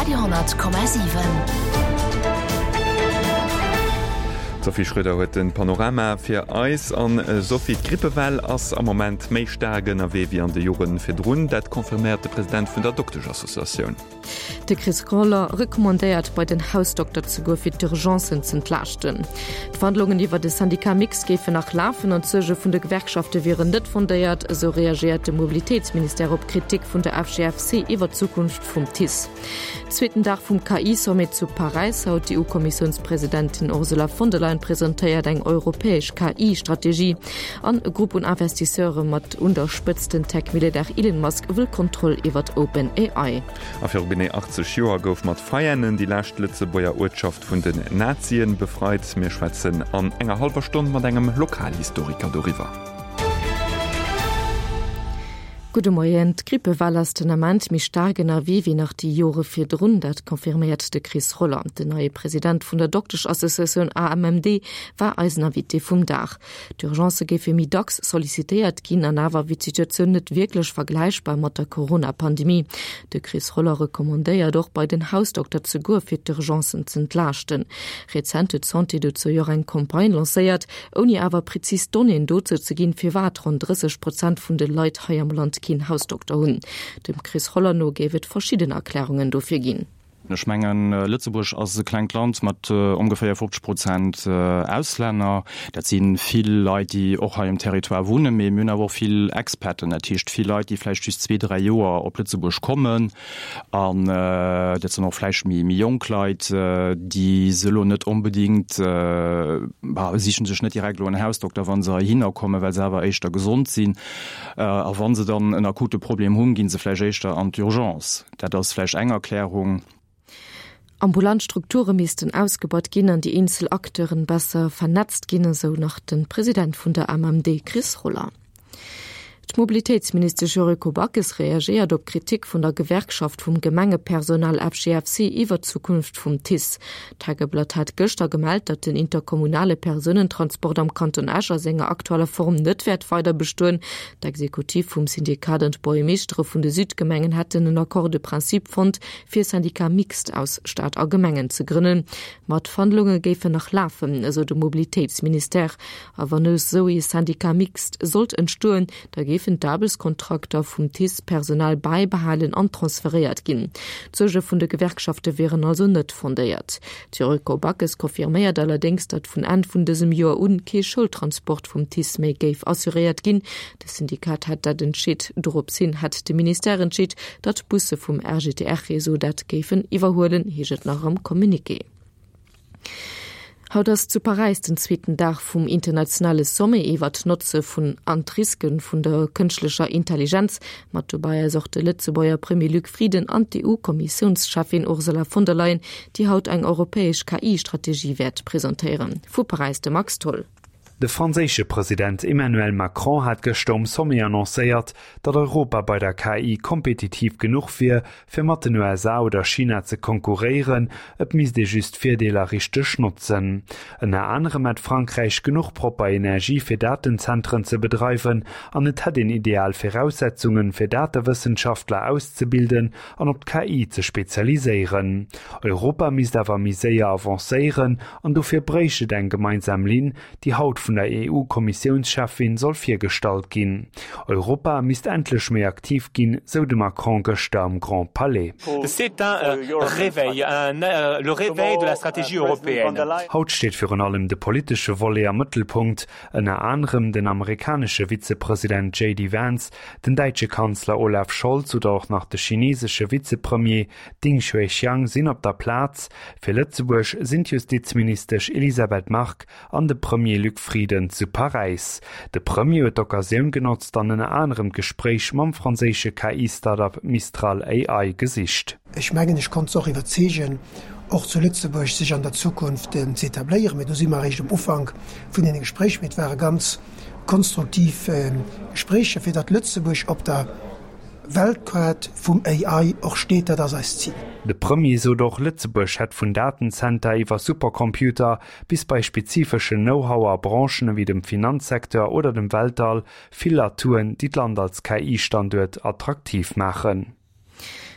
Radio 10,7. D'Sophie Schröder huet de Panorama fir eis. An Sophie, d'Grippewell ass am Moment méi staark ënnerwee wéi an de Jore virdrun. Dat confirméiert de President vun der Dokteschassociatioun. De Chris Roller recommandéiert bei den Hausdokter ze goe fir d'Urgencen z'entlaaschten. D'Verhandlungen iwwer de Syndicat mixte géifen nach lafen an d'Suerge vun de Gewerkschafte wieren net fondéiert, esou reagéiert de Mobilitéitsministère op Kritik vun der FGFC iwwer d'Zukunft vum TICE. Zweeten Dag vum KI-Sommet zu Paräis haut, D'EU-Kommissiounspresidentin Ursula von der Leyen presentéiert eng europäesch KI-Strategie. An e Grupp un Investisseure mat un der Spëtzt den Tech-Milliardär Elon Musk wëll d'Kontroll iwwert OpenAI. A viru genee 80 Joer gouf mat Veianen déi lescht Lëtzebuerger Uertschaft vun den Nazien befreit. Mir schwätzen an enger hallwer Stonn mat engem Lokalhistoriker doriwwer. Gudde Moien. D'Grippewell ass den Ament méi staark ënnerwee wéi nach déi Jore virdrun. Dat confirméiert de Chris Roller. Den neie President vun der Dokteschassociatioun AMMD war eisen Invité vum Dag. D'Urgencë géife méi dacks sollicitéiert ginn an awer wier d'Situatioun net wierklech vergläichbar mat der Corona-Pandemie. De Chris Roller recommandéiert och, bei den Hausdokter ze goe fir d'Urgencen z'entlaaschten. Rezent huet d'Santé dozou jo och eng Campagne lancéiert, ouni awer prezis Donnéeën dozou ze ginn, firwat ronn 30 Prozent vun de Leit hei am Land keen Hausdokter hunn. Dem Chris Roller no géif et verschidden Erklärungen dofir ginn. Ech mengen, Lëtzebuerg ass e klengt Land mat ongeféier 50 Prozent Auslänner. Dat si vill Leit, déi och hei um Territoire wunnen, mee mir hunn awer och vill Expaten, dat heescht vill Leit, déi vläicht just zwee, dräi Joer op Lëtzebuerg kommen. An dat sinn och vläicht méi jonk Leit, déi se elo net onbedéngt, bah, siche sech net direkt elo en Hausdokter, wa se heihinner kommen, well se awer éischter gesond sinn. A wa se dann en akute Problem hunn, gi se vläicht éischter an d'Urgence. Dat ass vläicht eng Erklärung. Ambulant Strukture missten ausgebaut ginn an déi eenzel Acteuren besser vernetzt ginn, esou nach de President vun der AMMD Chris Roller. D'Mobilitéitsministesch Yuriko Backes reagéiert op Kritik vun der Gewerkschaft vum Gemengepersonal FGFC iwwer d'Zukunft vum TICE. D'Tageblatt hat gëschter gemellt, datt den interkommunale Persounentransport am Kanton Esch a senger aktueller Form net wäert weider bestoen. D'Exekutiv vum Syndikat an d'Buergermeeschtere vun de Südgemengen hätten en Accord de principe fonnt, fir e Syndicat mixte aus Stad a Gemengen ze grënnen. Ma d'Verhandlunge géifen nach lafen, esou de Mobilitéitsministère. A wann esou ee Syndicat mixte sollt entstoen, Da géifen d'Aarbechtskontrakter vum TICE-Personal bäibehalen an transferéiert ginn. D'Suerge vun de Gewerkschafte wieren also net fondéiert. D'Yuriko Backes confirméiert allerdéngs, datt vun Enn vun dësem Joer un kee Schoultransport vum TICE méi géif assuréiert ginn. De Syndikat hätt dat entscheet. Dorops hin hätt de Ministère entscheet, datt d'Busse vum RGTR-Réseau dat géifen iwwerhuelen, heescht et nach am Communiqué. Haut ass zu Paräis den zweeten Dag vum internationale Sommet iwwer d'Notze vun an d'Riske vun der kënschtlecher Intelligenz. Mat dobäi ass och de Lëtzebuerger Premier Luc Frieden an d'EU-Kommissiounscheffin Ursula von der Leyen, déi haut eng europäesch KI-Strategie wäert presentéieren. Vu Paräis de Max Tholl. De franséische President Emmanuel Macron hat gëschter um Sommet annoncéiert, datt Europa bei der KI kompetitiv genuch wier, fir mat den USA oder China ze konkurréieren, et misst ee just d'Virdeeler richteg notzen. Ënner anerem hätt Frankräich genuch propper Energie fir Datenzentren ze bedreiwen an et hätt een ideal Viraussetzungen, fir Datewëssenschaftler auszebilden an op d'KI ze spezialiséieren. Europa misst awer méi séier avancéieren an dofir bréicht et eng gemeinsam Linn, déi haut vun der EU-Kommissiounscheffin soll virgestallt ginn. Europa misst endlech méi aktiv ginn, sou de Macron gëschter am Grand Palais. C'est un réveil, un le réveil de la stratégie européenne. Haut steet virun allem de politesche Volet am Mëttelpunkt. Ënner anerem den amerikanesche Vizepresident JD Vance, den däitsche Kanzler Olaf Scholz oder och nach de chinesesche Vizepremier Ding Xuexiang sinn op der Plaz. Fir Lëtzebuerg sinn d'Justizministesch Elisabeth Margue an de Premier Luc Frieden zu Paräis. De Premier huet d'Occasioun genotzt an ënner anerem d'Gespréich mam franséische KI-Startup Mistral AI gesicht. Ech mengen, ech konnt se och iwwerzeegen, och zu Lëtzebuerg sech an der Zukunft ze etabléieren. Mee do si mer eréischt um Ufank vun deene Gespréich. Mee et ware ganz konstruktiv Gespréicher, fir datt Lëtzebuerg op der Weltkaart vum AI och steet. Dat ass eist Zil. De Premier sot och, Lëtzebuerg hätt vun Datenzenter iwwer Supercomputer bis bei spezifeschen Know-how a Branchen ewéi dem Finanzsecteur oder dem Weltall vill Atouen, déi d'Land als KI-Standuert attraktiv maachen.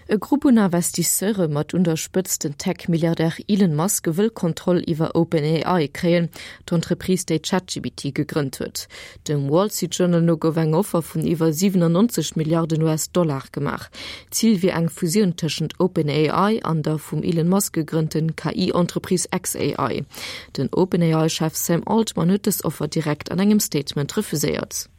E Grupp un Investisseure mat un der Spëtzt den Tech-Milliardär Elon Musk wëll Kontroll iwwer OpenAI kréien, d'Entreprise déi ChatGPT gegrënnt huet. Dem Wall Street Journal no gouf eng Offer vun iwwer 97 Milliarden US-Dollar gemaach. Zil wier eng Fusioun tëschent OpenAI an der vum Elon Musk gegrënnten KI-Entreprise xAI. Den OpenAI-Chef Sam Altman huet dës Offer direkt an engem Statement refuséiert.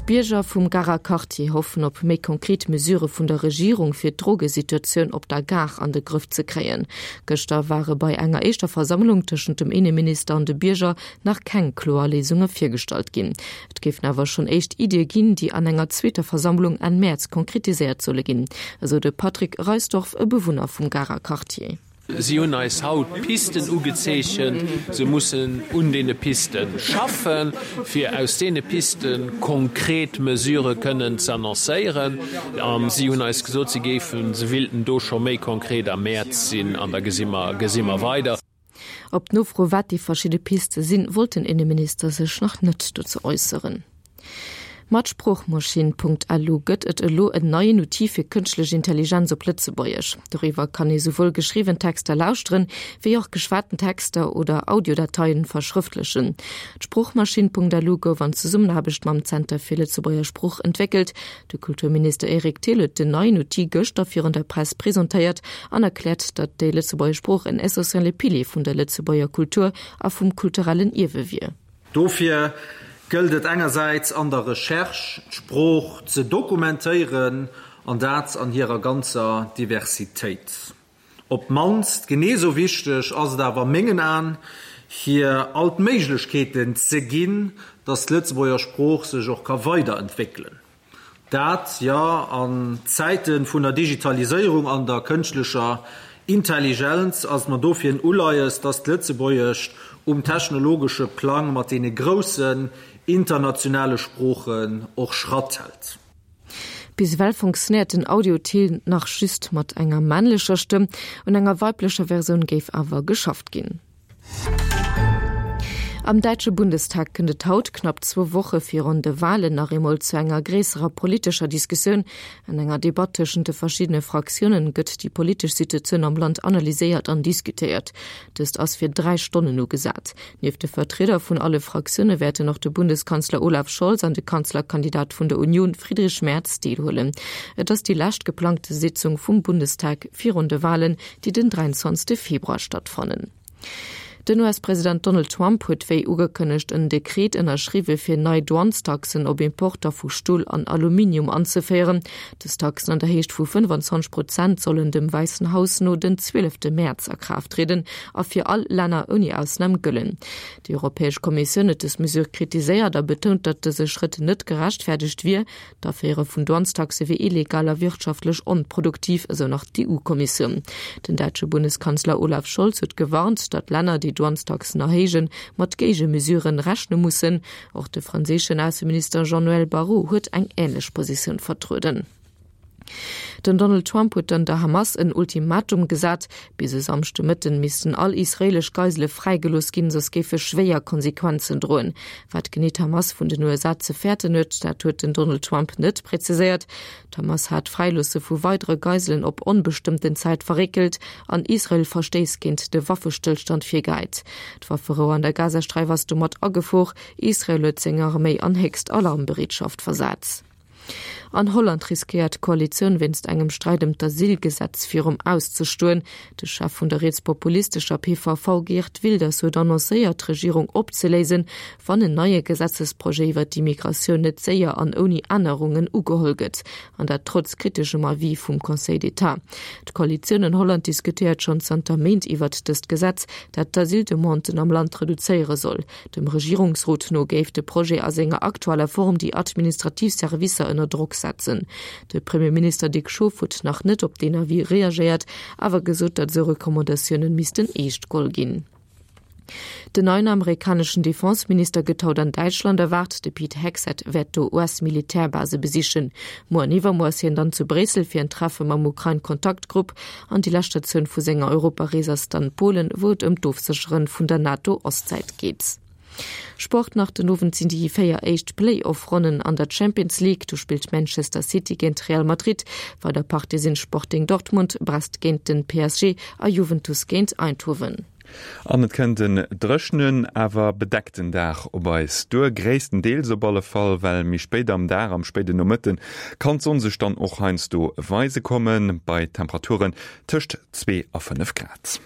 D'Bierger vum Garer Quartier hoffen op méi konkret Mesurë vun der Regierung fir d'Drogesituatioun op der Gare an de Grëff ze kréien. Gëschter ware bei enger éischter Versammlung tëschent dem Inneminister an de Bierger nach keng kloer Léisunge virgestallt ginn. Et géifen awer schonn éischt Iddie ginn, déi an enger zweeter Versammlung Enn Mäerz konkretiséiert solle ginn, esou de Patrick Reisdorf, e Bewunner vum Garer Quartier. Si hunn eis haut Pisten ugezeechent. Se mussen un deene Piste schaffen, fir aus deene Piste konkret Mesurë kënnen ze annoncéieren. A si hunn eis gesot, si géifen, se willten do scho méi konkret am Mäerz sinn an da gesi mer, gesi mer weider. Op d'Nofro, wat déi verschidde Piste sinn, wollt den Inneminister sech nach net dozou äusseren. Mat Sproochmaschinn.lu gëtt et elo en neien Outil fir kënschtlech Intelligenz op Lëtzebuergesch. Doriwwer kann ee souwuel geschriwwen Texter lauschteren, wéi och geschwaten Texter oder Audiodateien verschrëftlechen. D'Sproochmaschinn.lu gouf an Zesummenaarbecht mam Zenter fir Lëtzebuerger Sprooch entwéckelt. De Kulturminister Eric Thill huet den neien Outil gëschter virun der Press presentéiert an erkläert, datt déi Lëtzebuergesch Sprooch en essentielle Pilier vun der Lëtzebuerger Kultur a vum kulturellen Ierwe wier. Dofir gëllt et engersäits an der Recherche d'Sprooch ze dokumentéieren, an dat an hirer ganzer Diversitéit. Op d'mannst genee sou wichteg ass et awer a mengen Aen, hir all d'Méiglechkeeten ze ginn, datt d'Lëtzebuerger Sprooch sech och ka weiderentwéckelen. Dat, jo, an Zäite vun der Digitaliséierung an der kënschtlecher Intelligenz ass et mer dofir en Uleies, dass d'Lëtzebuergescht um technologesche Plang mat deene groussen internationale Sproochen och Schratt hält. Bis ewell funktionéiert den Audio-Till nach just mat enger männlecher Stëmm, un enger weiblecher Versioun géif awer geschafft ginn. Am däitsche Bundestag kënnt et haut, knapp zwou Woche virun de Walen, nach eemol zu enger gréisserer politescher Diskussioun. An enger Debatt tëschent de verschiddene Fraktiounen gëtt déi politesch Situatioun am Land analyséiert an diskutéiert. Dëst ass fir 3 Stonnen ugesat. Nieft de Vertrieder vun alle Fraktioune wäerten och de Bundeskanzler Olaf Scholz an de Kanzlerkandidat vun der Union Friedrich Merz deelhuelen. Et ass déi lescht geplangte Sitzung vum Bundestag virun de Walen, déi den 23 Februar stattfannen. Den US-President Donald Trump huet wéi ugekënnegt en Dekret ënnerschriwwe fir nei Douanestaxen op Importer vu Stol an Aluminium anzeféieren. Dës Taxen an der Héicht vu 25 Prozent sollen dem Wäissen Haus no den 12 Mäerz a Kraaft trieden a fir all Länner ouni Ausnam gëllen. Déi Europäesch Kommissioun huet dës Mesure kritiséiert a betount, datt dëse Schrëtt net gerechtfäerdegt wier. D'Aféiere vun Douanestaxe wier illegal a wirtschaftlech onproduktiv, esou nach d'EU-Kommissioun. Den däitsche Bundeskanzler Olaf Scholz huet gewarnt, datt Länner, déi Douanestaxen erhéijen, mat Géigemesuren rechne mussen. Och de franséischen Ausseminister Jean-Noël Barrot huet eng änlech Positioun vertrueden. Den Donald Trump huet dann der Hamas en Ultimatum gesat, Bis e Samschdemëtten missten all israeelesch Geisele fräigelooss ginn, soss géife schwéier Konsequenzen droen. Wat genee d'Hamas vun den USA ze fäerten huet, dat huet den Donald Trump net präziséiert. D'Hamas hat d'Fräiloosse vu weidere Geiselen op onbestëmmten Zäit verréckelt an Israel Verstéiss géint de Waffestëllstand virgehäit. D'Wafferou an der Gazasträif ass domat a Gefor. Israel huet seng Arméi an héchst Alarmbereetschaft versat. An Holland riskéiert d'Koalitioun wéinst engem Sträit ëm d'Asylgesetz virum Aus ze stoen. De Chef vun der rietspopulistescher PVV Geert Wilders huet annoncéiert, d'Regierung opzeléisen, wann en neie Gesetzesprojet iwwer d'Immigratioun net séier an ouni Ännerungen ugeholl gëtt. An dat trotz kriteschem Avis vum Conseil d'Etat. D'Koalitioun an Holland diskutéiert schonn zanter Méint iwwert dëst Gesetz, dat d'Asyldemanden am Land reduzéiere soll. Dem Regierungsrot no géif de Projet a senger aktueller Form déi administrativ Servicer ënner Drock setzen. De Premierminister Dick Schoof huet nach net op deen Avis reagéiert, awer gesot, datt esou Recommandatiounen missten eescht geholl ginn. Den neien amerikaneschen Defense-Minister gëtt haut an Däitschland erwaart. De Pete Hegseth wäert do US-Militärbase besichen. Muer an iwwermuer ass hien dann zu Bréissel fir en Treffe mam Ukrain-Kontaktgrupp. An déi lescht Statioun vu senger Europarees ass dann Polen, wou et ëm d'Ofsécheren vun der NATO-Ostsäit geet. Sport nach, Den Owend sinn déi 4 éischt Play-Off-Ronnen an der Champions League. Do spillt Manchester City géint Real Madrid. Weider Partie sinn Sporting Dortmund, Brest géint den PSG a Juventus géint Eindhoven. An et kënnt en dréchenen, awer bedeckten Dag op eis duer, gréisstendeels op alle Fall, well méi spéit am Dag, am spéiden Nomëtte kann d'Sonn sech dann och heiansdo weise kommen, bei Temperaturen tëscht 2 a 5 Grad.